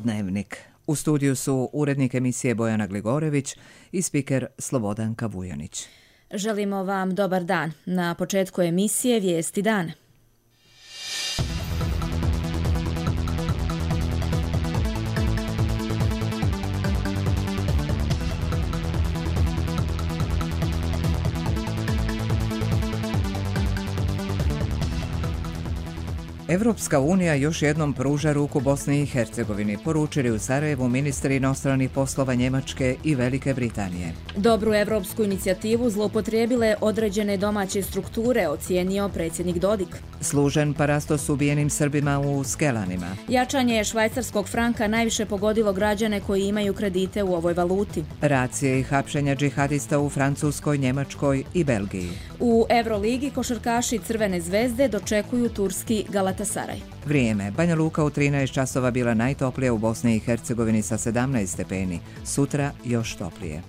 Dnevnik. U studiju su urednik emisije Bojana Gligorević i spiker Slobodanka Vujanić. Želimo vam dobar dan. Na početku emisije Vijesti dana. Evropska unija još jednom pruža ruku Bosni i Hercegovini, poručili u Sarajevu ministri inostranih poslova Njemačke i Velike Britanije. Dobru evropsku inicijativu zloupotrijebile određene domaće strukture, ocijenio predsjednik Dodik. Služen parastos ubijenim Srbima u Skelanima. Jačanje švajcarskog franka najviše pogodilo građane koji imaju kredite u ovoj valuti. Racije i hapšenja džihadista u Francuskoj, Njemačkoj i Belgiji. U Euroligi košarkaši Crvene zvezde dočekuju turski Galatasaraj. Vrijeme. Banja Luka u 13 časova bila najtoplija u Bosni i Hercegovini sa 17 stepeni. Sutra još toplije.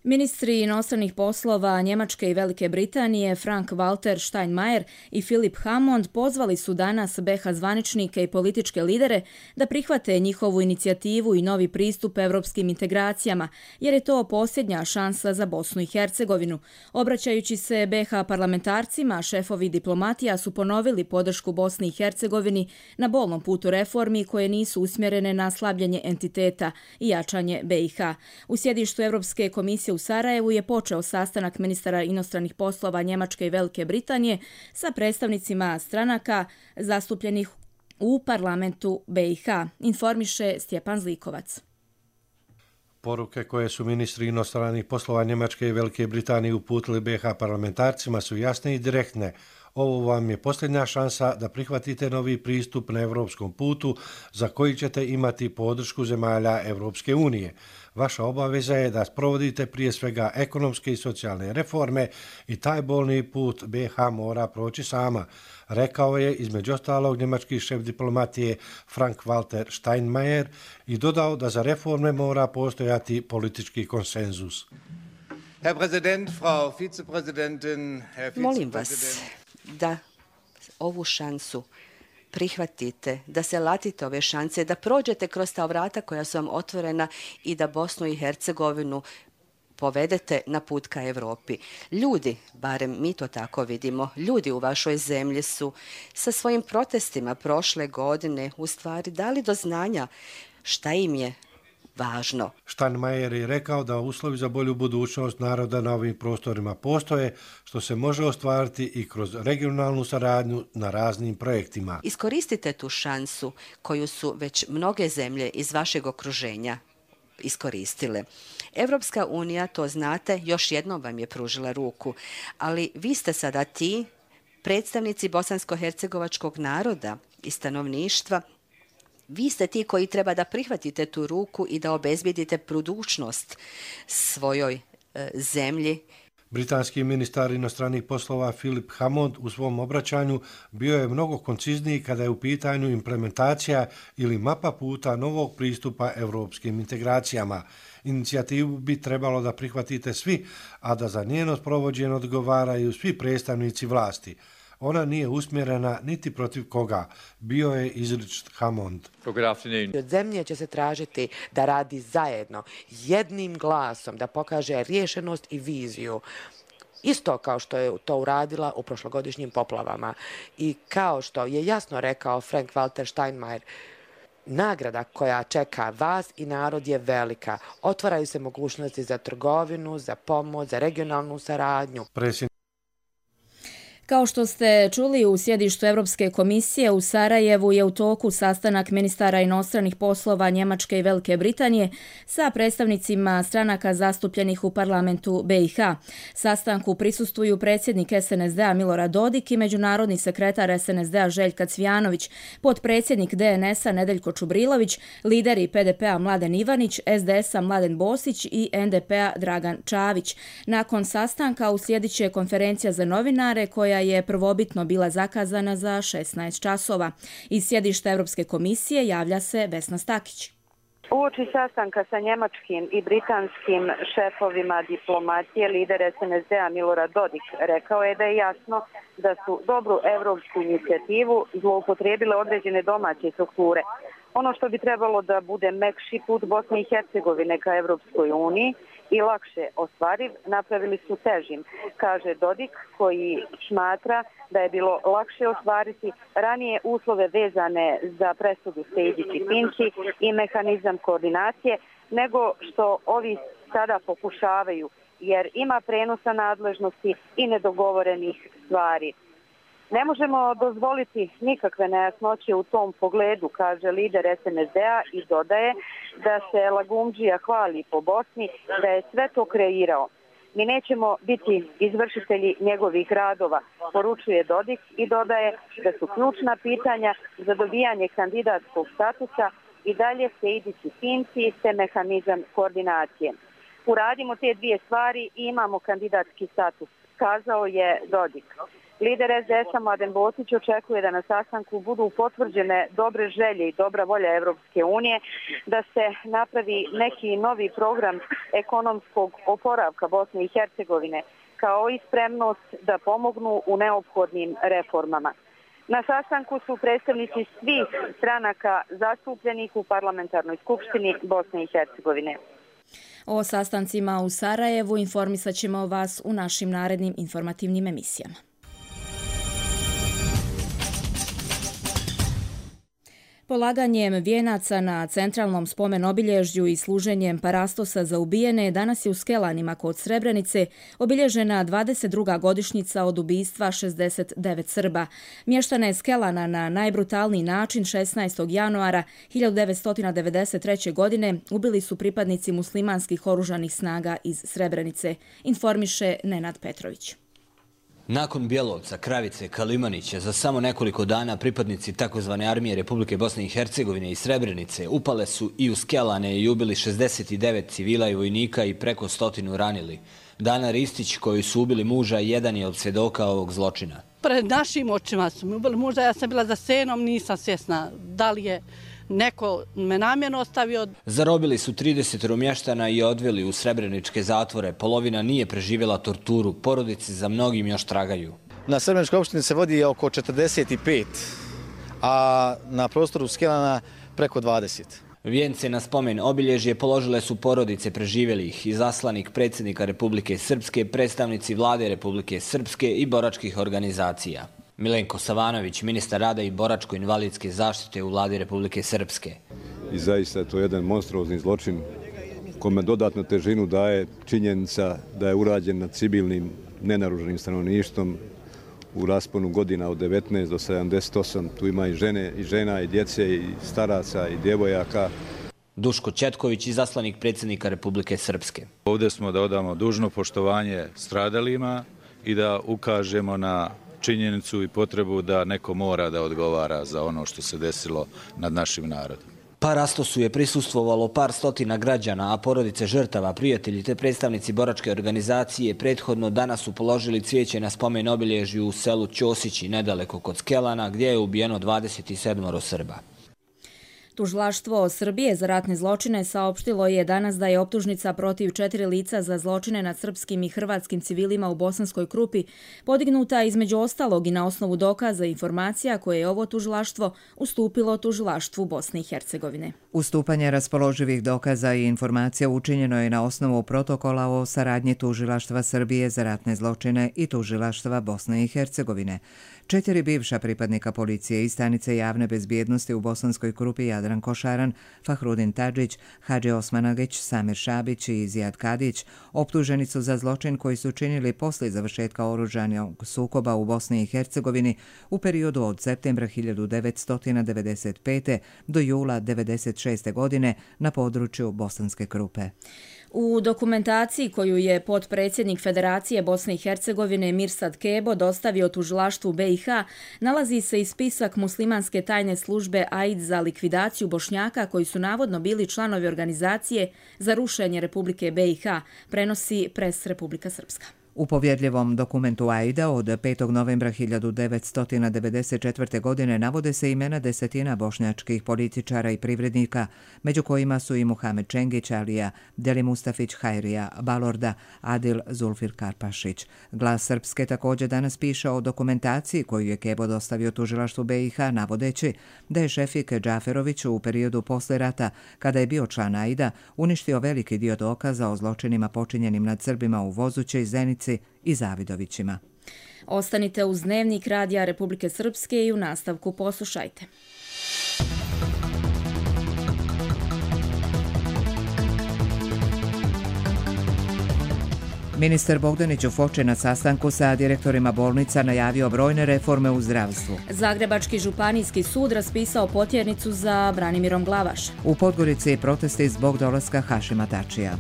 Ministri inostranih poslova Njemačke i Velike Britanije Frank-Walter Steinmeier i Philip Hammond pozvali su danas BiH zvaničnike i političke lidere da prihvate njihovu inicijativu i novi pristup evropskim integracijama, jer je to posljednja šansa za Bosnu i Hercegovinu. Obraćajući se BiH parlamentarcima, šefovi diplomatija su ponovili podršku Bosni i Hercegovini na bolnom putu reformi koje nisu usmjerene na slabljenje entiteta i jačanje BiH. U sjedištu Europske komisije u Sarajevu je počeo sastanak ministara inostranih poslova Njemačke i Velike Britanije sa predstavnicima stranaka zastupljenih u parlamentu BiH, informiše Stjepan Zlikovac. Poruke koje su ministri inostranih poslova Njemačke i Velike Britanije uputili BiH parlamentarcima su jasne i direktne. Ovo vam je posljednja šansa da prihvatite novi pristup na evropskom putu za koji ćete imati podršku zemalja Evropske unije. Vaša obaveza je da sprovodite prije svega ekonomske i socijalne reforme i taj bolni put BiH mora proći sama, rekao je između ostalog njemački šef diplomatije Frank-Walter Steinmeier i dodao da za reforme mora postojati politički konsenzus. Herr Präsident, Frau Vizepräsidentin, Herr Vizepräsident. Molim vas da ovu šansu prihvatite, da se latite ove šanse, da prođete kroz ta vrata koja su vam otvorena i da Bosnu i Hercegovinu povedete na put ka Evropi. Ljudi, barem mi to tako vidimo, ljudi u vašoj zemlji su sa svojim protestima prošle godine u stvari dali do znanja šta im je važno. Steinmeier je rekao da uslovi za bolju budućnost naroda na ovim prostorima postoje, što se može ostvariti i kroz regionalnu saradnju na raznim projektima. Iskoristite tu šansu koju su već mnoge zemlje iz vašeg okruženja iskoristile. Evropska unija, to znate, još jednom vam je pružila ruku, ali vi ste sada ti predstavnici bosansko-hercegovačkog naroda i stanovništva. Vi ste ti koji treba da prihvatite tu ruku i da obezbijedite budućnost svojoj zemlji. Britanski ministar inostranih poslova Philip Hammond u svom obraćanju bio je mnogo koncizniji kada je u pitanju implementacija ili mapa puta novog pristupa evropskim integracijama. Inicijativu bi trebalo da prihvatite svi, a da za njeno sprovođenje odgovaraju svi predstavnici vlasti. Ona nije usmjerena niti protiv koga, bio je izričit Hammond. Od zemlje će se tražiti da radi zajedno, jednim glasom, da pokaže rješenost i viziju. Isto kao što je to uradila u prošlogodišnjim poplavama. I kao što je jasno rekao Frank-Walter Steinmeier, nagrada koja čeka vas i narod je velika. Otvaraju se mogućnosti za trgovinu, za pomoć, za regionalnu saradnju. Kao što ste čuli, u sjedištu Europske komisije u Sarajevu je u toku sastanak ministara inostranih poslova Njemačke i Velike Britanije sa predstavnicima stranaka zastupljenih u parlamentu BiH. Sastanku prisustvuju predsjednik SNSD-a Milorad Dodik i međunarodni sekretar SNSD-a Željka Cvijanović, potpredsjednik DNS-a Nedeljko Čubrilović, lideri PDP-a Mladen Ivanić, SDS-a Mladen Bosić i NDP-a Dragan Čavić. Nakon sastanka uslijedit će konferencija za novinare koja je prvobitno bila zakazana za 16 časova. Iz sjedišta Europske komisije javlja se Vesna Stakić. Uoči sastanka sa njemačkim i britanskim šefovima diplomacije, lider SNSD-a Milorad Dodik rekao je da je jasno da su dobru evropsku inicijativu zloupotrijebile određene domaće strukture. Ono što bi trebalo da bude mekši put Bosne i Hercegovine ka Evropskoj uniji i lakše ostvariv, napravili su težim, kaže Dodik, koji smatra da je bilo lakše ostvariti ranije uslove vezane za presudu Sejdić i Finci i mehanizam koordinacije, nego što ovi sada pokušavaju, jer ima prenosa nadležnosti i nedogovorenih stvari. Ne možemo dozvoliti nikakve nejasnoće u tom pogledu, kaže lider SNSD-a i dodaje da se Lagumdžija hvali po Bosni, da je sve to kreirao. Mi nećemo biti izvršitelji njegovih radova, poručuje Dodik i dodaje da su ključna pitanja za dobijanje kandidatskog statusa i dalje Sejdić i Finci te mehanizam koordinacije. Uradimo te dvije stvari i imamo kandidatski status, kazao je Dodik. Lider SDS-a Mladen Bosić očekuje da na sastanku budu potvrđene dobre želje i dobra volja Evropske unije, da se napravi neki novi program ekonomskog oporavka Bosne i Hercegovine, kao i spremnost da pomognu u neophodnim reformama. Na sastanku su predstavnici svih stranaka zastupljenih u Parlamentarnoj skupštini Bosne i Hercegovine. O sastancima u Sarajevu informisat ćemo vas u našim narednim informativnim emisijama. Polaganjem vijenaca na centralnom spomen obilježju i služenjem parastosa za ubijene danas je u Skelanima kod Srebrenice obilježena 22. godišnjica od ubistva 69 Srba. Mještane Skelana na najbrutalniji način 16. januara 1993. godine ubili su pripadnici muslimanskih oružanih snaga iz Srebrenice, informiše Nenad Petrović. Nakon Bjelovca, Kravice, Kalimanića, za samo nekoliko dana pripadnici takozvane armije Republike Bosne i Hercegovine i Srebrenice upale su i u Skelane i ubili 69 civila i vojnika i preko 100 ranili. Dana Ristić, koju su ubili muža, jedan je od svjedoka ovog zločina. Pred našim očima su mi ubili muža, ja sam bila za senom, nisam svjesna da li je neko me namjerno ostavio. Zarobili su 30 mještana i odveli u srebreničke zatvore. Polovina nije preživjela torturu. Porodice za mnogim još tragaju. Na Srebreničkoj opštini se vodi oko 45, a na prostoru Skelana preko 20. Vijence na spomen obilježje položile su porodice preživjelih, izaslanik predsjednika Republike Srpske, predstavnici vlade Republike Srpske i boračkih organizacija. Milenko Savanović, ministar rada i boračko-invalidske zaštite u vladi Republike Srpske. I zaista je to jedan monstruozni zločin kome dodatnu težinu daje činjenica da je urađen nad civilnim nenaruženim stanovništvom u rasponu godina od 19 do 78. Tu ima i žena, i djece, i staraca, i djevojaka. Duško Četković, izaslanik predsjednika Republike Srpske. Ovdje smo da odamo dužno poštovanje stradalima i da ukažemo na činjenicu i potrebu da neko mora da odgovara za ono što se desilo nad našim narodom. Parastosu je prisustvovalo par stotina građana, a porodice žrtava, prijatelji te predstavnici boračke organizacije prethodno danas su položili cvijeće na spomen obilježju u selu Ćosići, nedaleko kod Skelana, gdje je ubijeno 27 Srba. Tužilaštvo Srbije za ratne zločine saopštilo je danas da je optužnica protiv 4 lica za zločine nad srpskim i hrvatskim civilima u Bosanskoj Krupi podignuta između ostalog i na osnovu dokaza i informacija koje je ovo tužilaštvo ustupilo tužilaštvu Bosne i Hercegovine. Ustupanje raspoloživih dokaza i informacija učinjeno je na osnovu protokola o saradnji tužilaštva Srbije za ratne zločine i tužilaštva Bosne i Hercegovine. 4 bivša pripadnika policije i stanice javne bezbjednosti u Bosanskoj Krupi Jadran Košaran, Fahrudin Tadžić, Hadži Osmanagić, Samir Šabić i Zijad Kadić optuženi su za zločin koji su činili poslije završetka oružanog sukoba u Bosni i Hercegovini u periodu od septembra 1995. do jula 1996. godine na području Bosanske Krupe. U dokumentaciji koju je potpredsjednik Federacije Bosne i Hercegovine Mirsad Kebo dostavio tužilaštvu BiH nalazi se i spisak muslimanske tajne službe AID za likvidaciju Bošnjaka koji su navodno bili članovi organizacije za rušenje Republike BiH, prenosi Pres Republika Srpska. U povjerljivom dokumentu AIDA od 5. novembra 1994. godine navode se imena desetina bošnjačkih političara i privrednika, među kojima su i Muhamed Čengić, Alija, Deli Mustafić, Hajrija, Balorda, Adil Zulfir Karpašić. Glas Srpske također danas piše o dokumentaciji koju je Kebo dostavio tužilaštvu BiH, navodeći da je Šefik Džaferović u periodu posle rata, kada je bio član AIDA, uništio veliki dio dokaza o zločinima počinjenim nad Srbima u Vozuće i Zenici i Zavidovićima. Ostanite uz Dnevnik Radija Republike Srpske i u nastavku poslušajte. Ministar Bogdanić u Foči na sastanku sa direktorima bolnica najavio brojne reforme u zdravstvu. Zagrebački županijski sud raspisao potjernicu za Branimirom Glavaš. U Podgorici protesti zbog dolaska Hašima Tačija.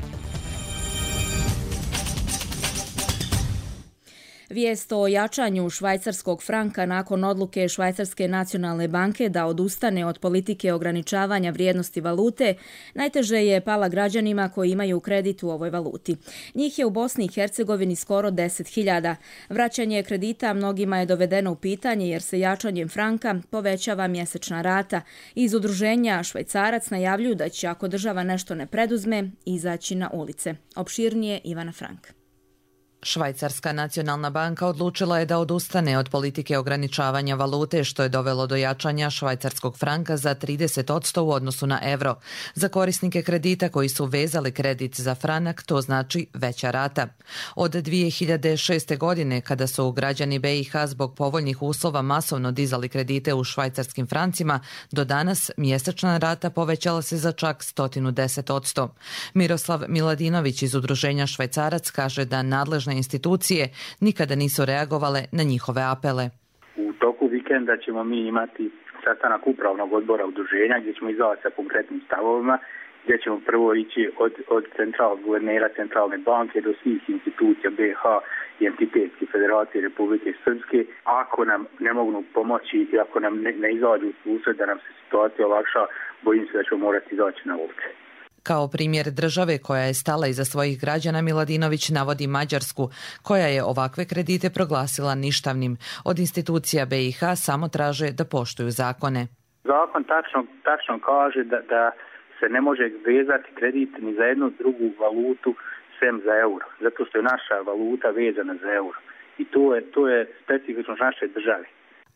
Vijest o jačanju švajcarskog franka nakon odluke Švajcarske nacionalne banke da odustane od politike ograničavanja vrijednosti valute najteže je pala građanima koji imaju kredit u ovoj valuti. Njih je u Bosni i Hercegovini skoro 10.000. Vraćanje kredita mnogima je dovedeno u pitanje jer se jačanjem franka povećava mjesečna rata. Iz udruženja Švajcarac najavljuju da će, ako država nešto ne preduzme, izaći na ulice. Opširnije Ivana Frank. Švajcarska nacionalna banka odlučila je da odustane od politike ograničavanja valute, što je dovelo do jačanja švajcarskog franka za 30% u odnosu na euro. Za korisnike kredita koji su vezali kredit za franak, to znači veća rata. Od 2006. godine, kada su građani BiH zbog povoljnih uslova masovno dizali kredite u švajcarskim francima, do danas mjesečna rata povećala se za čak 110%. Miroslav Miladinović iz udruženja Švajcarac kaže da nadležne institucije nikada nisu reagovale na njihove apele. U toku vikenda ćemo mi imati sastanak upravnog odbora udruženja gdje ćemo izaći sa konkretnim stavovima, gdje ćemo prvo ići od centralnog guvernera Centralne banke do svih institucija BiH i entitetske federacije Republike Srpske. Ako nam ne mogu pomoći i ako nam ne izađu u susret da nam se situacija olakša, bojim se da ćemo morati izaći na ulice. Kao primjer države koja je stala iza svojih građana, Miladinović navodi Mađarsku, koja je ovakve kredite proglasila ništavnim. Od institucija BiH samo traže da poštuju zakone. Zakon tačno kaže da se ne može vezati kredit ni za jednu drugu valutu sem za euro, zato što je naša valuta vezana za euro. I to je specifično naše države.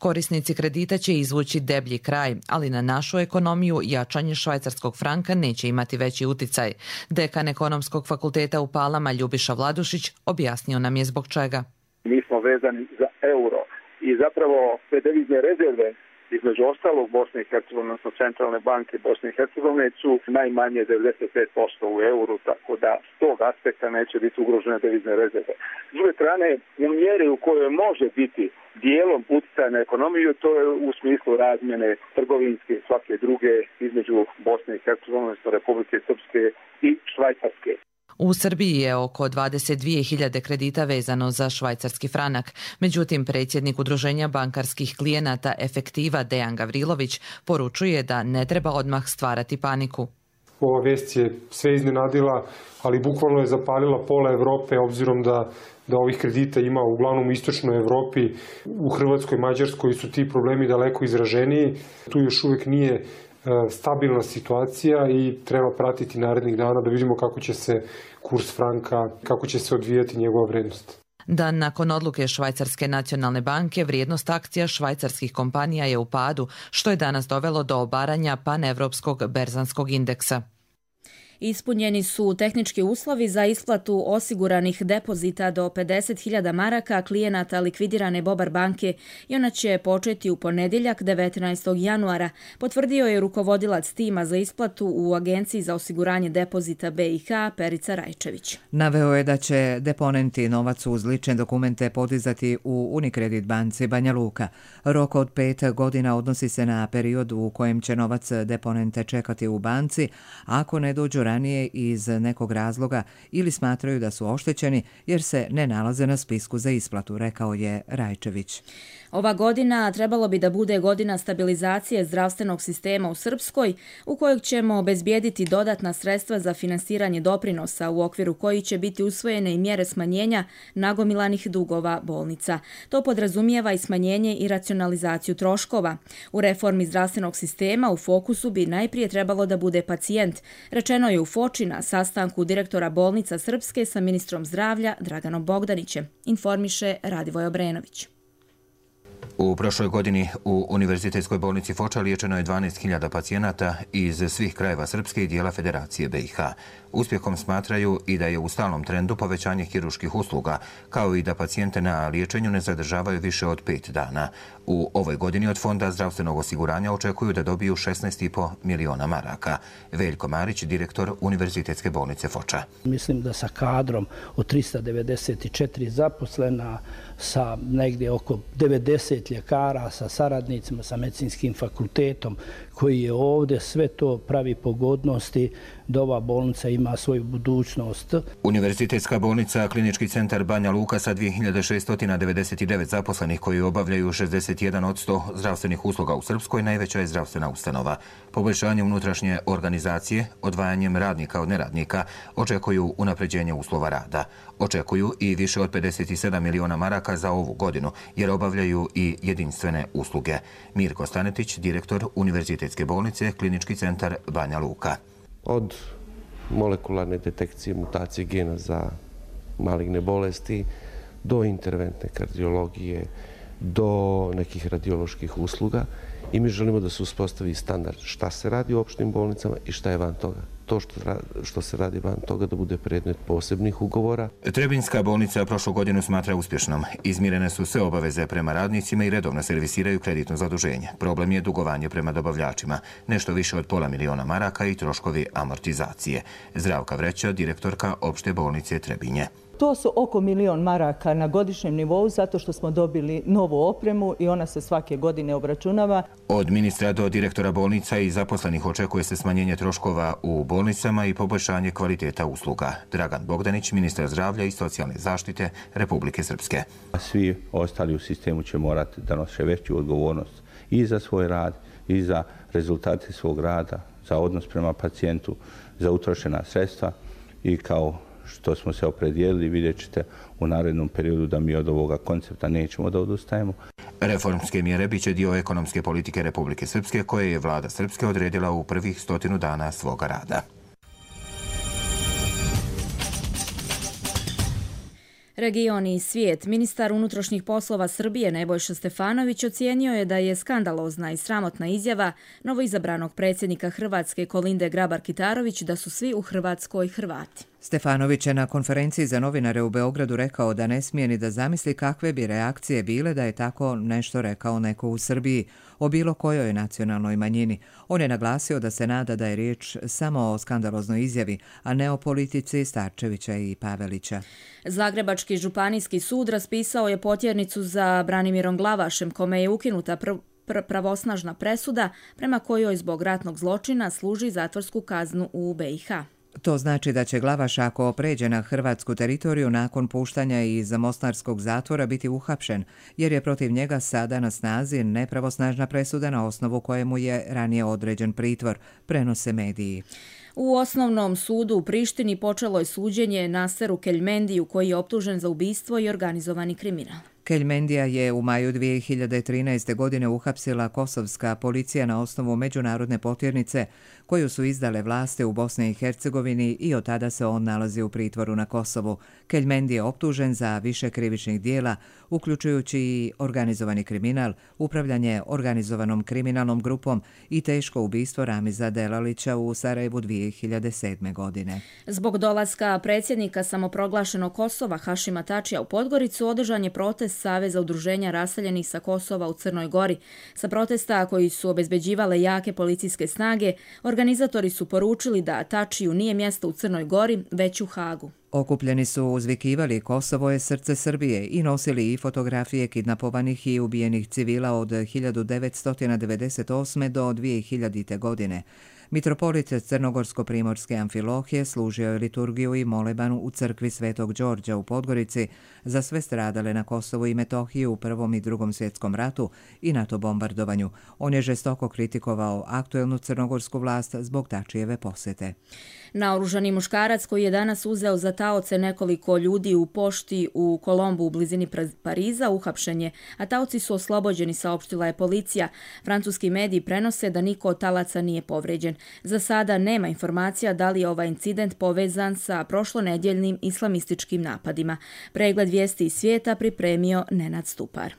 Korisnici kredita će izvući deblji kraj, ali na našu ekonomiju jačanje švajcarskog franka neće imati veći uticaj. Dekan Ekonomskog fakulteta u Palama Ljubiša Vladušić objasnio nam je zbog čega. Mi smo vezani za euro i zapravo sve devizne rezerve između ostalog Bosne i Hercegovine, odnosno Centralne banke Bosne i Hercegovine su najmanje 95% u euru, tako da s tog aspekta neće biti ugrožene devizne rezerve. S druge strane, u mjeri u kojoj može biti dijelom utjecaja na ekonomiju, to je u smislu razmjene trgovinske i svake druge između Bosne i Hercegovine, odnosno Republike Srpske i Švajcarske. U Srbiji je oko 22.000 kredita vezano za švajcarski franak. Međutim, predsjednik Udruženja bankarskih klijenata Efektiva Dejan Gavrilović poručuje da ne treba odmah stvarati paniku. Ova vest je sve iznenadila, ali bukvalno je zapalila pola Evrope, obzirom da ovih kredita ima uglavnom u istočnoj Evropi. U Hrvatskoj, Mađarskoj su ti problemi daleko izraženiji. Tu još uvijek nije stabilna situacija i treba pratiti narednih dana da vidimo kako će se kurs franka, kako će se odvijati njegova vrednost. Dan nakon odluke Švajcarske nacionalne banke, vrijednost akcija švajcarskih kompanija je u padu, što je danas dovelo do obaranja panevropskog berzanskog indeksa. Ispunjeni su tehnički uslovi za isplatu osiguranih depozita do 50.000 maraka klijenata likvidirane Bobar banke i ona će početi u ponedjeljak 19. januara, potvrdio je rukovodilac tima za isplatu u Agenciji za osiguranje depozita BiH Perica Rajčević. Naveo je da će deponenti novac uz lične dokumente podizati u Unicredit banci Banja Luka. Rok od 5 godina odnosi se na period u kojem će novac deponente čekati u banci, ako ne dođu ranije iz nekog razloga ili smatraju da su oštećeni jer se ne nalaze na spisku za isplatu, rekao je Rajčević. Ova godina trebalo bi da bude godina stabilizacije zdravstvenog sistema u Srpskoj, u kojeg ćemo obezbijediti dodatna sredstva za finansiranje doprinosa, u okviru koji će biti usvojene i mjere smanjenja nagomilanih dugova bolnica. To podrazumijeva i smanjenje i racionalizaciju troškova. U reformi zdravstvenog sistema u fokusu bi najprije trebalo da bude pacijent, rečeno je u Foči na sastanku direktora bolnica Srpske sa ministrom zdravlja Draganom Bogdanićem, informiše Radivoj Obrenović. U prošloj godini u Univerzitetskoj bolnici Foča liječeno je 12.000 pacijenata iz svih krajeva Srpske i dijela Federacije BiH. Uspjehom smatraju i da je u stalnom trendu povećanje kirurških usluga, kao i da pacijente na liječenju ne zadržavaju više od 5 dana. U ovoj godini od Fonda zdravstvenog osiguranja očekuju da dobiju 16,5 miliona maraka. Veljko Marić, direktor Univerzitetske bolnice Foča. Mislim da sa kadrom od 394 zaposlena, sa negdje oko 90 ljekara, sa saradnicima, sa medicinskim fakultetom koji je ovdje, sve to pravi pogodnosti da ova bolnica ima svoju budućnost. Univerzitetska bolnica Klinički centar Banja Luka sa 2699 zaposlenih koji obavljaju 61% zdravstvenih usluga u Srpskoj najveća je zdravstvena ustanova. Poboljšanjem unutrašnje organizacije, odvajanjem radnika od neradnika, očekuju unapređenje uslova rada. Očekuju i više od 57 miliona maraka za ovu godinu, jer obavljaju i jedinstvene usluge. Mirko Stanetić, direktor Univerzitetske bolnice Klinički centar Banja Luka. Od molekularne detekcije mutacije gena za maligne bolesti do interventne kardiologije, do nekih radioloških usluga i mi želimo da se uspostavi standard šta se radi u opštim bolnicama i šta je van toga. To što se radi van toga da bude predmet posebnih ugovora. Trebinjska bolnica prošlu godinu smatra uspješnom. Izmirene su sve obaveze prema radnicima i redovno servisiraju kreditno zaduženje. Problem je dugovanje prema dobavljačima, nešto više od pola miliona maraka i troškovi amortizacije. Zdravka Vreća, direktorka opšte bolnice Trebinje. To su oko 1 milion maraka na godišnjem nivou zato što smo dobili novu opremu i ona se svake godine obračunava. Od ministra do direktora bolnica i zaposlenih očekuje se smanjenje troškova u bolnicama i poboljšanje kvaliteta usluga. Dragan Bogdanić, ministar zdravlja i socijalne zaštite Republike Srpske. Svi ostali u sistemu će morati da nose veću odgovornost i za svoj rad i za rezultate svog rada, za odnos prema pacijentu, za utrošena sredstva i kao što smo se opredijelili, vidjet ćete u narednom periodu da mi od ovoga koncepta nećemo da odustajemo. Reformske mjere biće dio ekonomske politike Republike Srpske koje je vlada Srpske odredila u prvih 100 dana svoga rada. Region i svijet. Ministar unutrašnjih poslova Srbije Nebojša Stefanović ocijenio je da je skandalozna i sramotna izjava novoizabranog predsjednika Hrvatske Kolinde Grabar-Kitarović da su svi u Hrvatskoj Hrvati. Stefanović je na konferenciji za novinare u Beogradu rekao da ne smije ni da zamisli kakve bi reakcije bile da je tako nešto rekao neko u Srbiji o bilo kojoj nacionalnoj manjini. On je naglasio da se nada da je riječ samo o skandaloznoj izjavi, a ne o politici Starčevića i Pavelića. Zagrebački županijski sud raspisao je potjernicu za Branimirom Glavašem, kome je ukinuta pravosnažna presuda prema kojoj zbog ratnog zločina služi zatvorsku kaznu u BiH. To znači da će Glavaš, ako pređe na hrvatsku teritoriju nakon puštanja iz mostarskog zatvora, biti uhapšen, jer je protiv njega sada na snazi nepravosnažna presuda na osnovu kojemu je ranije određen pritvor, prenose mediji. U osnovnom sudu u Prištini počelo je suđenje Naseru Keljmendiju, koji je optužen za ubistvo i organizovani kriminal. Keljmendija je u maju 2013. godine uhapsila kosovska policija na osnovu međunarodne potjernice koju su izdale vlasti u Bosni i Hercegovini i od tada se on nalazi u pritvoru na Kosovu. Keljmendi je optužen za više krivičnih dijela, uključujući i organizovani kriminal, upravljanje organizovanom kriminalnom grupom i teško ubistvo Ramiza Delalića u Sarajevu 2007. godine. Zbog dolaska predsjednika samoproglašenog Kosova Hašima Tačija u Podgoricu održan je protest Saveza udruženja raseljenih sa Kosova u Crnoj Gori. Sa protesta koji su obezbeđivale jake policijske snage, organizatori su poručili da Tačiju nije mjesto u Crnoj Gori, već u Hagu. Okupljeni su uzvikivali Kosovo je srce Srbije i nosili i fotografije kidnapovanih i ubijenih civila od 1998. do 2000. godine. Mitropolit Crnogorsko-primorske Amfilohije služio je liturgiju i molebanu u crkvi Svetog Đorđa u Podgorici za sve stradale na Kosovu i Metohiji u Prvom i Drugom svjetskom ratu i NATO bombardovanju. On je žestoko kritikovao aktuelnu crnogorsku vlast zbog Tačijeve posjete. Naoružani muškarac koji je danas uzeo za taoce nekoliko ljudi u pošti u Kolombu u blizini Pariza uhapšen je, a taoci su oslobođeni, saopštila je policija. Francuski mediji prenose da niko od talaca nije povređen. Za sada nema informacija da li je ovaj incident povezan sa prošlonedjeljnim islamističkim napadima. Pregled vijesti iz svijeta pripremio Nenad Stupar.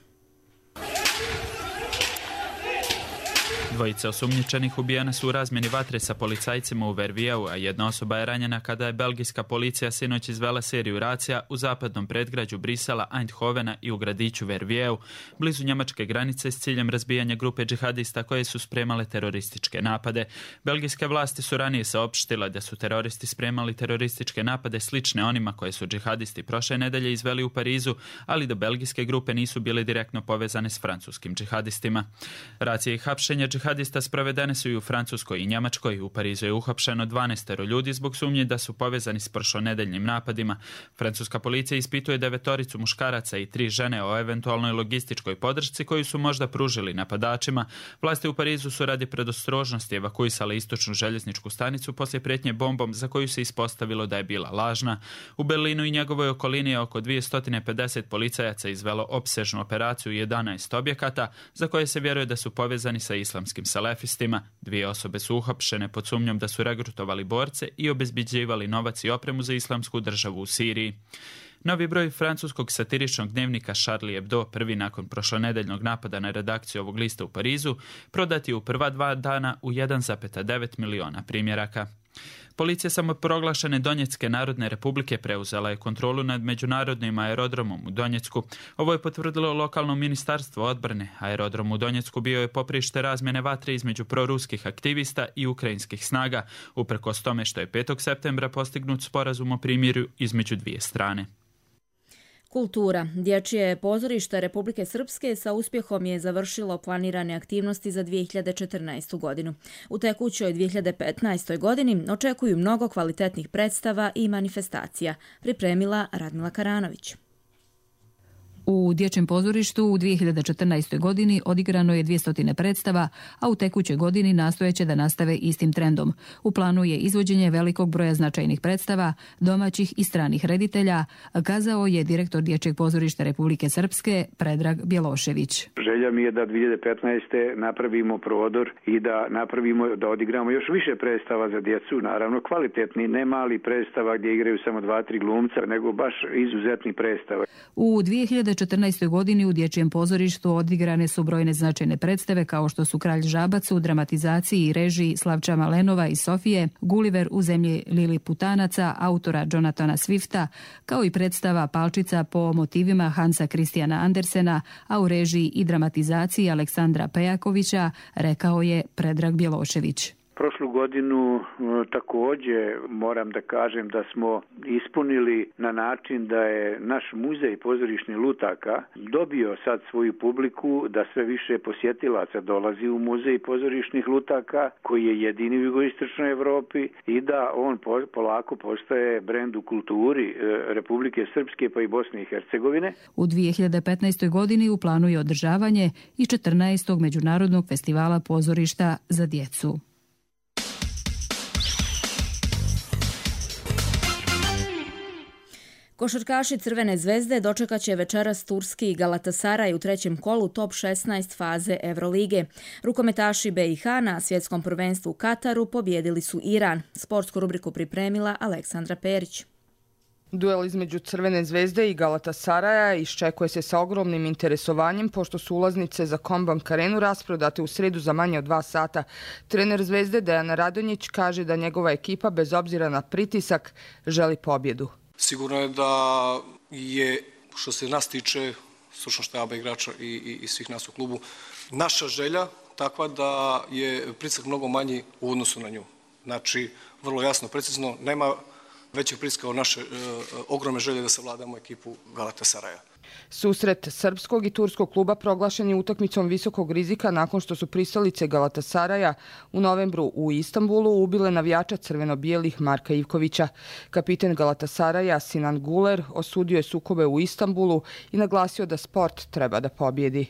Dvojice osumnjičenih ubijene su u razmjeni vatre sa policajcima u Vervijeu, a jedna osoba je ranjena kada je belgijska policija sinoć izvela seriju racija u zapadnom predgrađu Brisela, Eindhovena i u gradiću Vervijeu, blizu njemačke granice s ciljem razbijanja grupe džihadista koje su spremale terorističke napade. Belgijske vlasti su ranije saopštile da su teroristi spremali terorističke napade slične onima koje su džihadisti prošle nedelje izveli u Parizu, ali da belgijske grupe nisu bile direktno povezane s francuskim džihadistima. Racije i hapšenja džihadista sprovedene su i u Francuskoj i Njemačkoj. U Parizu je uhapšeno 12 ljudi zbog sumnje da su povezani s prošlonedeljnim napadima. Francuska policija ispituje 9 muškaraca i 3 žene o eventualnoj logističkoj podršci koju su možda pružili napadačima. Vlasti u Parizu su radi predostrožnosti evakuisale istočnu željezničku stanicu poslije prijetnje bombom za koju se ispostavilo da je bila lažna. U Berlinu i njegovoj okolini je oko 250 policajaca izvelo opsežnu operaciju 11 objekata za koje se vjeruje da su povezani sa islamskim salafistima. 2 osobe su uhapšene pod sumnjom da su regrutovali borce i obezbeđivali novac i opremu za islamsku državu u Siriji. Novi broj francuskog satiričnog dnevnika Charlie Hebdo, prvi nakon prošlonedeljnog napada na redakciju ovog lista u Parizu, prodat je u prva 2 dana u 1,9 miliona primjeraka. Policija samoproglašene Donjecke narodne republike preuzela je kontrolu nad međunarodnim aerodromom u Donjecku. Ovo je potvrdilo lokalno ministarstvo odbrane. Aerodrom u Donjecku bio je poprište razmjene vatre između proruskih aktivista i ukrajinskih snaga, uprkos tome što je 5. septembra postignut sporazum o primirju između dvije strane. Kultura. Dječje pozorište Republike Srpske sa uspjehom je završilo planirane aktivnosti za 2014. godinu. U tekućoj 2015. godini očekuju mnogo kvalitetnih predstava i manifestacija, pripremila Radmila Karanović. U Dječjem pozorištu u 2014. godini odigrano je 200 predstava, a u tekućoj godini nastojeće da nastave istim trendom. U planu je izvođenje velikog broja značajnih predstava, domaćih i stranih reditelja, kazao je direktor Dječjeg pozorišta Republike Srpske Predrag Bjelošević. Želja mi je da 2015. napravimo prodor i da odigramo još više predstava za djecu, naravno kvalitetni, ne mali predstava gdje igraju samo 2-3 glumca, nego baš izuzetni predstava. U 2014. godini u Dječjem pozorištu odigrane su brojne značajne predstave kao što su Kralj Žabac u dramatizaciji i režiji Slavča Malenova i Sofije, Gulliver u zemlji Liliputanaca autora Jonathana Swifta, kao i predstava Palčica po motivima Hansa Christiana Andersena, a u režiji i dramatizaciji Aleksandra Pejakovića, rekao je Predrag Bjelošević. Prošlu godinu također moram da kažem da smo ispunili na način da je naš muzej pozorišnih lutaka dobio sad svoju publiku, da sve više posjetilaca dolazi u muzej pozorišnih lutaka koji je jedini u jugoistočnoj Evropi i da on polako postaje brend u kulturi Republike Srpske pa i Bosne i Hercegovine. U 2015. godini u planu je održavanje i 14. Međunarodnog festivala pozorišta za djecu. Košarkaši Crvene zvezde dočekat će večeras turski Galatasaraj u 3. kolu top 16 faze Evrolige. Rukometaši BiH na svjetskom prvenstvu u Kataru pobjedili su Iran. Sportsku rubriku pripremila Aleksandra Perić. Duel između Crvene zvezde i Galatasaraja iščekuje se sa ogromnim interesovanjem pošto su ulaznice za Kombank Arenu rasprodate u sredu za manje od 2 sata. Trener Zvezde Dejan Radonjić kaže da njegova ekipa bez obzira na pritisak želi pobjedu. Sigurno je da je, što se nas tiče, stručnog štaba igrača i svih nas u klubu, naša želja takva da je pritisak mnogo manji u odnosu na nju. Znači, vrlo jasno, precizno, nema većeg pritiska od naše ogromne želje da savladamo ekipu Galatasaraja. Susret srpskog i turskog kluba proglašen je utakmicom visokog rizika nakon što su pristalice Galatasaraja u novembru u Istanbulu ubile navijača crveno-bijelih Marka Ivkovića. Kapiten Galatasaraja Sinan Guler osudio je sukobe u Istanbulu i naglasio da sport treba da pobjedi.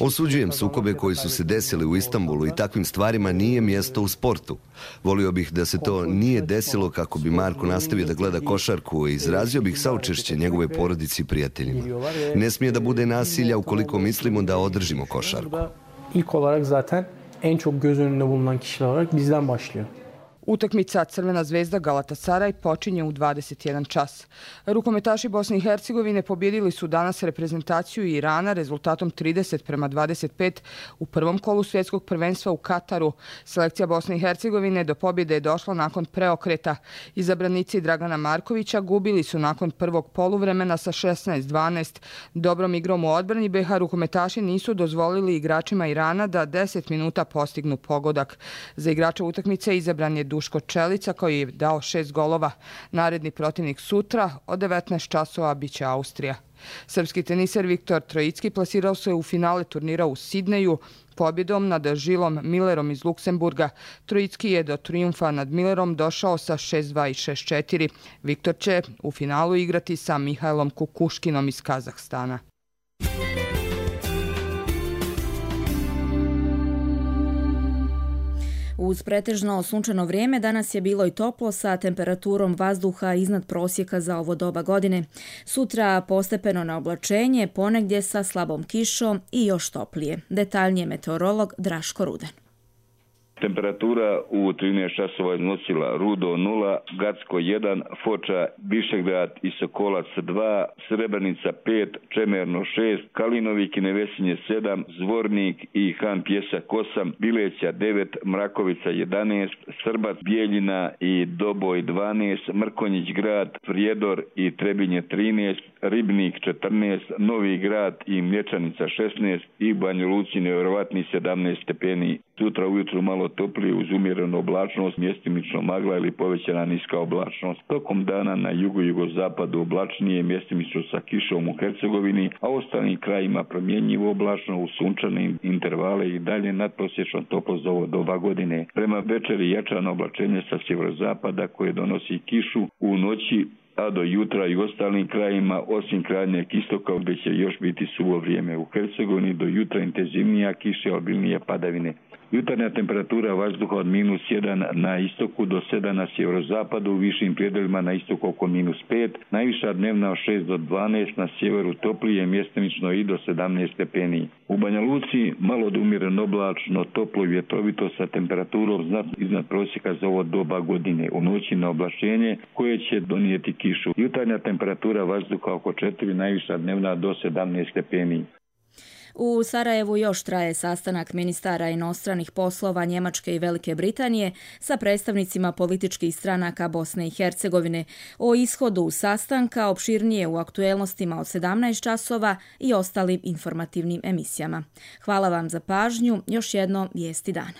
Osuđujem sukobe koji su se desili u Istanbulu i takvim stvarima nije mjesto u sportu. Volio bih da se to nije desilo kako bi Marko nastavio da gleda košarku i izrazio bih saučešće njegove porodici i prijateljima. Ne smije da bude nasilja ukoliko mislimo da održimo košarku. İlk olarak zaten en çok göz önünde bulunan kişiler olarak bizden başlıyor. Utakmica Crvena zvezda Galatasaraj počinje u 21 čas. Rukometaši Bosne i Hercegovine pobjedili su danas reprezentaciju Irana rezultatom 30-25 u prvom kolu svjetskog prvenstva u Kataru. Selekcija Bosne i Hercegovine do pobjede je došla nakon preokreta. Izabranici Dragana Markovića gubili su nakon prvog poluvremena sa 16-12. Dobrom igrom u odbrani BiH rukometaši nisu dozvolili igračima Irana da 10 minuta postignu pogodak. Za igrača utakmice izabran je Duško Čelica koji je dao 6 golova. Naredni protivnik sutra od 19 časova biće Austrija. Srpski teniser Viktor Trojicki plasirao se u finale turnira u Sidneju pobjedom nad Žilom Millerom iz Luksemburga. Trojicki je do trijumfa nad Millerom došao sa 6-2 i 6-4. Viktor će u finalu igrati sa Mihajlom Kukuškinom iz Kazahstana. Uz pretežno sunčano vrijeme danas je bilo i toplo sa temperaturom vazduha iznad prosjeka za ovo doba godine. Sutra postepeno na oblačenje, ponegdje sa slabom kišom i još toplije. Detaljnije meteorolog Draško Ruden. Temperatura u 13 časova iznosila Rudo 0, Gacko 1, Foča, Višegrad i Sokolac 2, Srebrenica 5, Čemerno 6, Kalinovik i Nevesinje 7, Zvornik i Han Pjesak 8, Bileća 9, Mrakovica 11, Srbac, Bijeljina i Doboj 12, Mrkonjić grad, Prijedor i Trebinje 13, Ribnik 14, Novi grad i Mlječanica 16 i Banja Luci nevjerovatni 17 stepeni. Sutra ujutru malo toplije uz umjerenu oblačnost, mjestimično magla ili povećana niska oblačnost. Tokom dana na jugu i jugozapadu oblačnije, mjestimično sa kišom u Hercegovini, a u ostalim krajima promjenjivo oblačno uz sunčane intervale i dalje nadprosječno toplo za ovo doba godine. Prema večeri jačano oblačenje sa sjeverozapada koje donosi kišu u noći, a do jutra i u ostalim krajima, osim krajnjeg istoka, gdje će još biti suvo vrijeme. U Hercegovini do jutra intenzivnija kiša i obilnije padavine. Jutarnja temperatura vazduha od -1 na istoku do 7 na sjeverozapadu, u višim predjelima na istoku oko -5, najviša dnevna od 6 do 12, na sjeveru toplije, mjestimično i do 17 stepeni. U Banja Luci malo do umjereno oblačno, toplo i vjetrovito sa temperaturom znatno iznad prosjeka za ovo doba godine. U noći na oblačenje koje će donijeti kišu. Jutarnja temperatura vazduha oko 4, najviša dnevna do 17 stepeni. U Sarajevu još traje sastanak ministara inostranih poslova Njemačke i Velike Britanije sa predstavnicima političkih stranaka Bosne i Hercegovine. O ishodu sastanka opširnije u aktuelnostima od 17 časova i ostalim informativnim emisijama. Hvala vam za pažnju. Još jedno vijesti dana.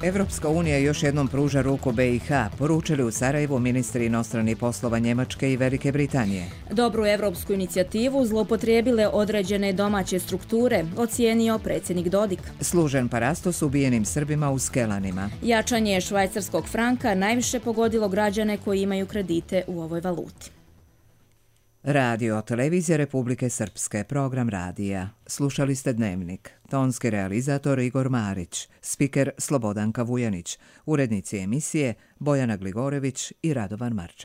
Evropska unija još jednom pruža ruku BiH, poručili u Sarajevu ministri inostranih poslova Njemačke i Velike Britanije. Dobru evropsku inicijativu zloupotrijebile određene domaće strukture, ocijenio predsjednik Dodik. Služen parastos ubijenim Srbima u Skelanima. Jačanje švajcarskog franka najviše pogodilo građane koji imaju kredite u ovoj valuti. Radio Televizija Republike Srpske, program radija. Slušali ste Dnevnik. Tonski realizator Igor Marić, spiker Slobodanka Vujanić, urednici emisije Bojana Gligorević i Radovan Marčević.